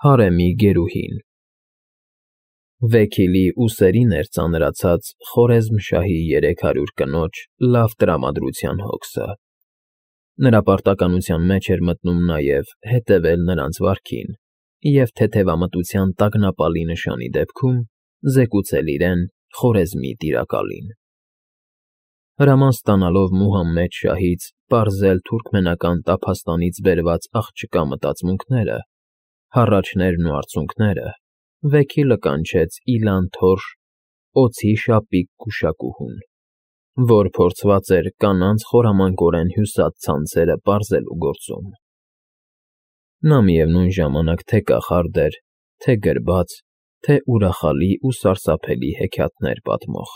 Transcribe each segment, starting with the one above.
Հարեմի գերուհին Վեքիլի ուսերին էր ծանրացած Խորեզմշահի 300 կնոջ լավ տրամադրության հոգսը։ Նրա պարտականության մեջ էր մտնում նաև հետևել նրանց վարքին և թեթևամտության տագնապալի նշանի դեպքում զեկուցել իրեն Խորեզմի տիրակալին։ Հրաման ստանալով Մուհամմեդ շահից պարզել թուրքմենական տափաստանից բերված աղջկա մտածմունքները, հառաչներն ու արցունքները, Վեքիլը կանչեց Իլան֊Թորշ օձի շապիկ գուշակուհուն, որ փորձված էր կանանց խորամանկորեն հյուսած ցանցերը պարզելու գործում։ Նա միևնույն ժամանակ թե կախարդ էր, թե գրբաց, թե ուրախալի ու սարսափելի հեքիաթներ պատմող։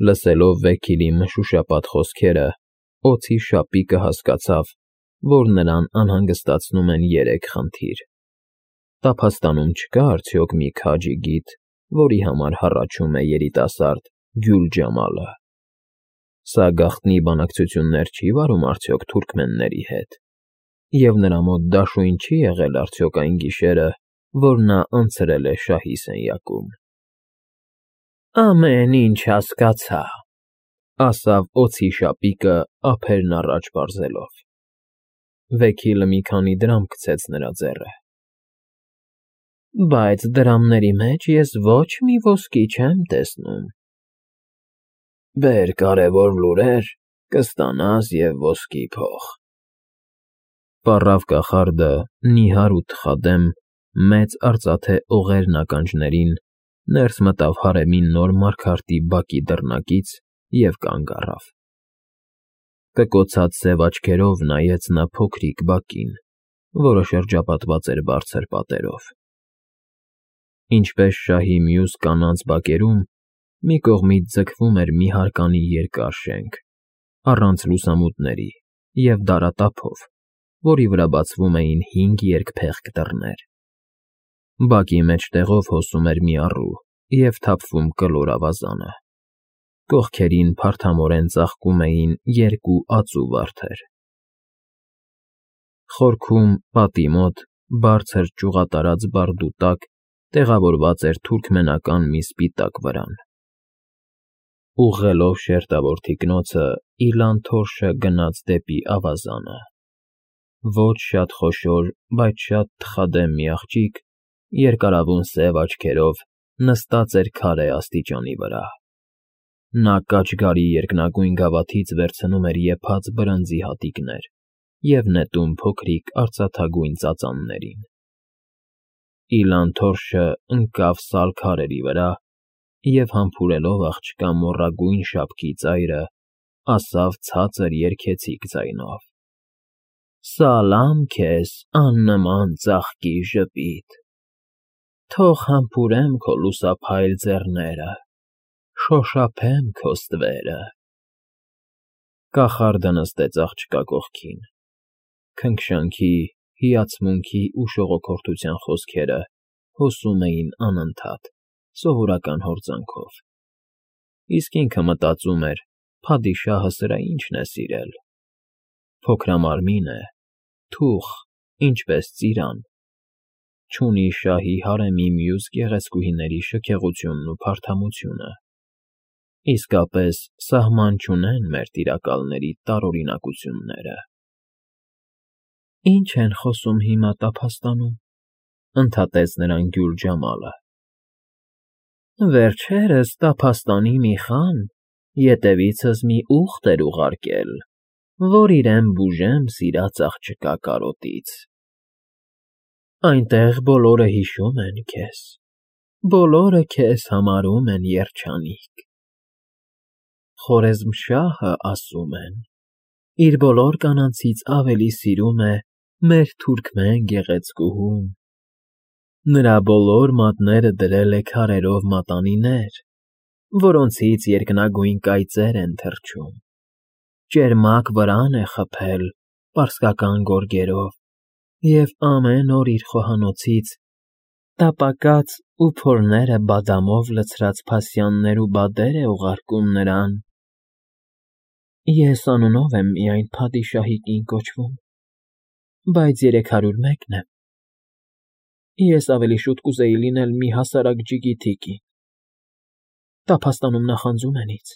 Լսելով Վեքիլի մշուշապատ խոսքերը, օձի շապիկը հասկացավ, որ նրան անհանգստացնում են երեք խնդիր. տափաստանում չկա՞ արդյոք մի քաջի գիտ, որի համար հառաչում է երիտասարդ Գյուլ֊Ջամալը։ Սա գաղտնի բանակցություններ չի վարում արդյոք թուրքմենների հետ, և նրա մոտ դաշույն չի եղել արդյոք այն գիշերը, որ նա անցրել է շահի սենյակում։ Ամեն ինչ հասկացա, ասավ օձի շապիկը ափերն առաջ պարզելով։ Վեքիլը մի քանի դրամ քցեց նրա ձեռը։ Բայց դրամների մեջ ես ոչ մի ոսկի չեմ տեսնում։ Բեր կարևոր լուրեր, կստանաս և ոսկի փող։ Պառավ կախարդը նիհար ու թխադեմ մեծ արծաթե օղերն ականջներին ներս մտավ հարեմի նոր մարգարտի բակի դռնակից և կանգ առավ։ Կկոցած սև աչքերով նայեց նա փոքրիկ բակին, որը շրջապատված էր բարձր պատերով։ Ինչպես շահի մյուս կանանց բակերում, մի կողմից ձգվում էր մի հարկանի երկար շենք, առանց լուսամուտների և դարատափով, որի վրա բացվում էին 5 երկփեղկ դռներ։ Բակի մեջտեղով հոսում էր մի առու և թափվում կլոր ավազանը։ Կողքերին փարթամորեն ծաղկում էին 2 ածու վարդեր։ Խորքում, պատի մոտ, բարձր ճյուղատարած բարդու տակ տեղավորված էր թուրքմենական մի սպիտակ վրան։ Ուղղելով շերտավոր թիկնոցը Իլան֊Թորշը գնաց դեպի ավազանը։ Ոչ շատ խոշոր, բայց շատ թխադեմ մի աղջիկ, երկարավուն սև աչքերով, նստած էր քարե աստիճանի վրա։ Նա կաճգարի երկնագույն գավաթից վերցնում էր եփած բրնձի հատիկներ և նետում փոքրիկ արծաթագույն ծածաններին։ Իլան֊Թորշը ընկավ սալ քարերի վրա և, համբուրելով աղջկա մոռագույն շապքի ծայրը, ասավ ցածր երգեցիկ ձայնով. Սալամ քեզ, աննման ծաղկի ժպիտ, թող համբուրեմ քո լուսափայլ ձեռները, շոշափեմ քո ստվերը։ Կախարդը նստեց աղջկա կողքին։ Քնքշանքի, հիացմունքի ու շողոքորթության խոսքերը հոսում էին անընդհատ, սովորական հորձանքով։ Իսկ ինքը մտածում էր. փադիշահը սրա ինչն է սիրել։ Փոքրամարմին է, թուխ, ինչպես ծիրան, չունի շահի հարեմի մյուս գեղեցկուհիների շքեղությունն ու փարթամությունը։ Իսկապես սահման չունեն մեր տիրակալների տարօրինակությունները։ Ինչ են խոսում հիմա տափաստանում, ընդհատեց նրան Գյուլ֊Ջամալը։ Վերջերս տափաստանի մի խան ետևիցս մի ուղտ էր ուղարկել, որ իրեն բուժեմ սիրած աղջկա կարոտից։ Այնտեղ բոլորը հիշում են քեզ, բոլորը քեզ համարում են երջանիկ։ Խորեզմշահը, ասում են, իր բոլոր կանանցից ավելի սիրում է մեր թուրքմեն գեղեցկուհուն։ Նրա բոլոր մատները դրել է քարերով մատանիներ, որոնցից երկնագույն կայծեր են թռչում, ճերմակ վրան է խփել պարսկական գորգերով և ամեն օր իր խոհանոցից տապակած ու փորները բադամով լցրած փասյաններ ու բադեր է ուղարկում նրան։ Ես անունով եմ միայն փադիշահի կին կոչվում, բայց 301 եմ։ Ես ավելի շուտ կուզեի լինել մի հասարակ ջիգիթիկի։ Տափաստանում նախանձում են ինձ,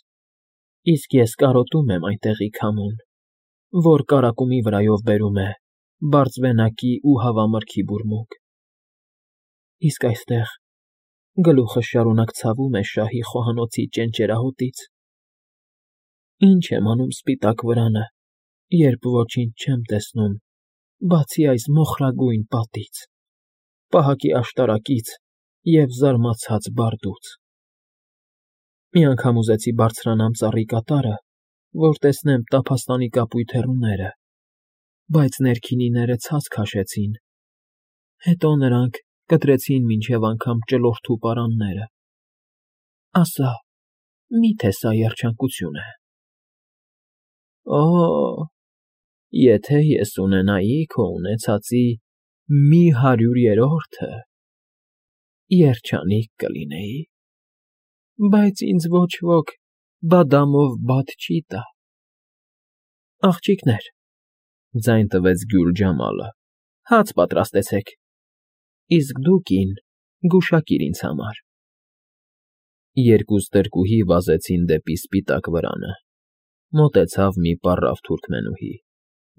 իսկ ես կարոտում եմ այնտեղի քամուն, որ կարակումի վրայով բերում է բարձվենակի ու հավամրգի բուրմունք։ Իսկ այստեղ գլուխը շարունակ ցավում է շահի խոհանոցի ճենճերահոտից։ Ինչ եմ անում սպիտակ վրանը, երբ ոչինչ չեմ տեսնում, բացի այս մոխրագույն պատից, պահակի աշտարակից և զարմացած բարդուց։ Մի անգամ ուզեցի բարձրանամ ծառի կատարը, որ տեսնեմ տափաստանի կապույտ հեռուները, բայց ներքինիները ցած քաշեցին, հետո նրանք կտրեցին մինչև անգամ ճլորթու պարանները։ Ասա, միթե սա երջանկություն է։ Օ, եթե ես ունենայի քո ունեցածի 100-րդը, երջանիկ կլինեի, բայց ինձ ոչ ոք բադամով բադ չի տա։ Աղջիկներ, ձայն տվեց Գյուլ Ջամալը, հաց պատրաստեցեք, իսկ դու, կին, գուշակիր ինձ համար։ Երկու ստրկուհի վազեցին դեպի սպիտակ վրանը, մոտեցավ մի պառավ թուրքմենուհի,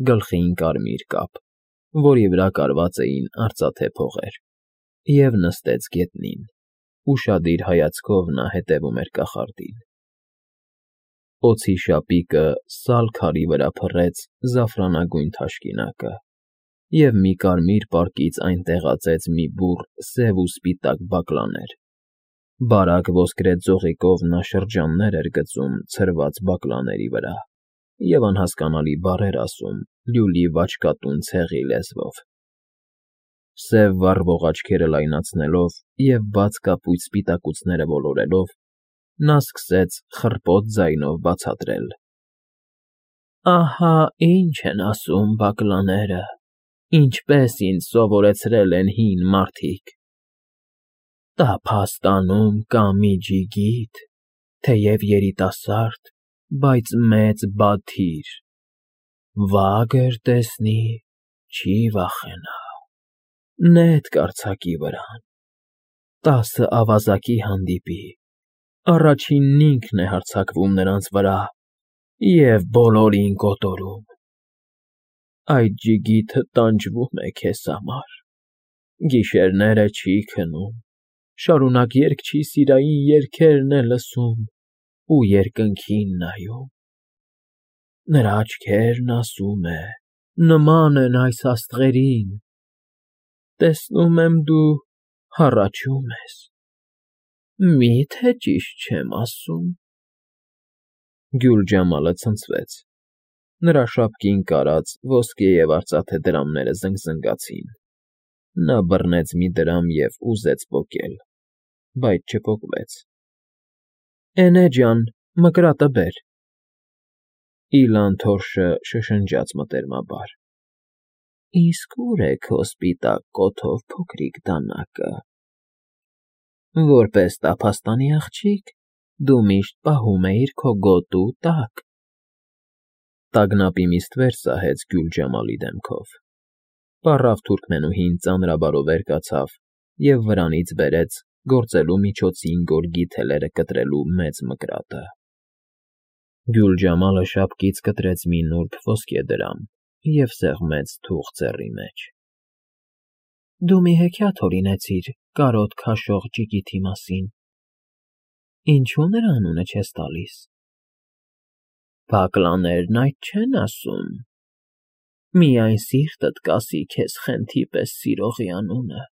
գլխին կարմիր կապ, որի վրա կարված էին արծաթե փողեր, և նստեց գետնին, ուշադիր հայացքով նա հետևում էր կախարդին։ Օձի շապիկը սալ քարի վրա փռեց զաֆրանագույն թաշկինակը, և մի կարմիր պարկից այն տեղացեց մի բուռ սև ու սպիտակ բակլաներ։ Բարակ ոսկրե ձողիկով նա շրջաններ էր գծում ցրված բակլաների վրա և անհասկանալի բառեր ասում լյուլի վաճկատուն ցեղի լեզվով։ Սև վառվող աչքերը լայնացնելով և բաց կապույտ սպիտակուցները ոլորելով, նա սկսեց խռպոտ ձայնով բացատրել. Ահա ինչ են ասում բակլաները, ինչպես ինձ սովորեցրել են հին մարդիկ. Տափաստանում կա մի ջիգիթ, թեև երիտասարդ, բայց մեծ բաթիր, վագր տեսնի, չի վախենա, նետ կարձակի վրան, 10 ավազակի հանդիպի, առաջինն ինքն է հարձակվում նրանց վրա և բոլորին կոտորում։ Այդ ջիգիթը տանջվում է քեզ համար, գիշերները չի քնում, շարունակ երգչի-սիրային երգերն է լսում ու երկնքին նայում։ Նրա աչքերն, ասում է, նման են այս աստղերին, տեսնում եմ դու հառաչում ես, մի՞թե ճիշտ չեմ ասում։ Գյուլ Ջամալը ցնցվեց, նրա շապկին կարած ոսկե և արծաթե դրամները զնգզնգացին։ Նա բռնեց մի դրամ և ուզեց պոկել, բայց չպոկվեց։ Էնե ջան, մկրատը բեր։ Իլան թորշը շշնջաց մտերմաբար. Իսկ ուր է քո սպիտակ կոթով փոքրիկ դանակը։ Որպես տափաստանի աղջիկ, դու միշտ պահում էիր քո գոտու տակ։ Տագնապի միստ վեր սահեց Գյուլ Ջամալի դեմքով։ Պառավ թուրքմենուհին ծանրաբարով կացավ և վրանից բերեց գործելու միջոցին գորգի թելերը կտրելու մեծ մկրատը։ Գյուլ Ջամալը շապկից կտրեց մի նուրբ ոսկե դրամ և սեղմեց թուղ ձեռի մեջ։ Դու մի հեքիաթ հորինեցիր կարոտ քաշող ջիգիթի մասին։ Ինչու նրա անունը չես տալիս։ Բակլաներն այդ չեն ասում։ Միայն սիրտդ կասի քեզ խենթի պես սիրողի անունը։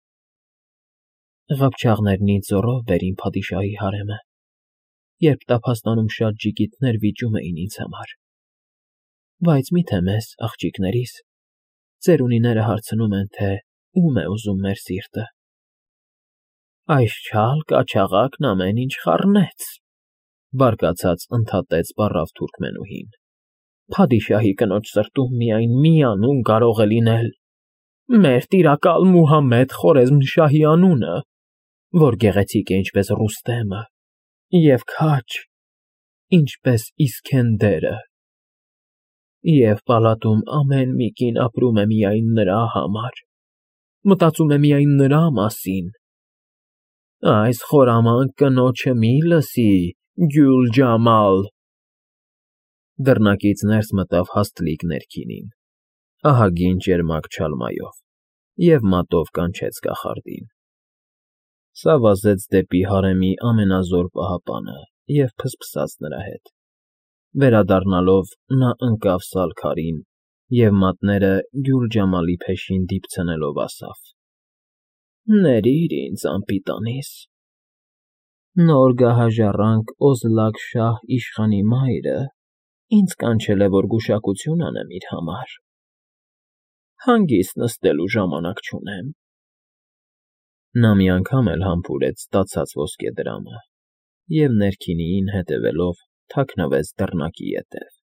Ղապչաղներն ինձ զոռով բեր իմ փադիշահի հարեմը, երբ տափաստանում շատ ջիգիտներ վիճում էին ինձ համար։ Բայց միթե մեզ, աղջիկներիս, ծերունիները հարցնում են, թե ում է ուզում մեր սիրտը։ Այս չալ կաչաղակն ամեն ինչ խառնեց, բարկացած ընդհատեց պառավ թուրքմենուհին։ Փադիշահի կնոջ սրտում միայն մի անուն կարող է լինել. մեր տիրակալ Մուհամմեդ Խորեզմշահի անունը, որ գեղեցիկ է ինչպես Ռուստեմը, և քաջ, ինչպես Իսքենդերը, և պալատում ամեն մի կին ապրում է միայն նրա համար, մտածում է միայն նրա մասին։ Այս խորամանկ կնոջը մի լսի, Գյուլջամալ։ Դռնակից ներս մտավ հաստլիկ ներքինին, ահագին ճերմակ չալմայով, և մատով կանչեց կախարդին։ Սա վազեց դեպի հարեմի ամենազոր պահապանը և փսփսաց նրա հետ։ Վերադառնալով նա ընկավ սալքարին և մատները Գյուլջամալի փեշին դիպցնելով ասավ. «Ներիր ինձ, անպիտանիս։ Նոր գահաժառանգ Օզլակ֊շահ իշխանի մայրը ինձ կանչել է, որ գուշակություն անեմ իր համար։ Հանգիստ նստելու ժամանակ չունեմ»։ Նա մի անգամ էլ համբուրեց ստացած ոսկեդրամը և, ներքինիին հետևելով, թաքնվեց դռնակի ետև։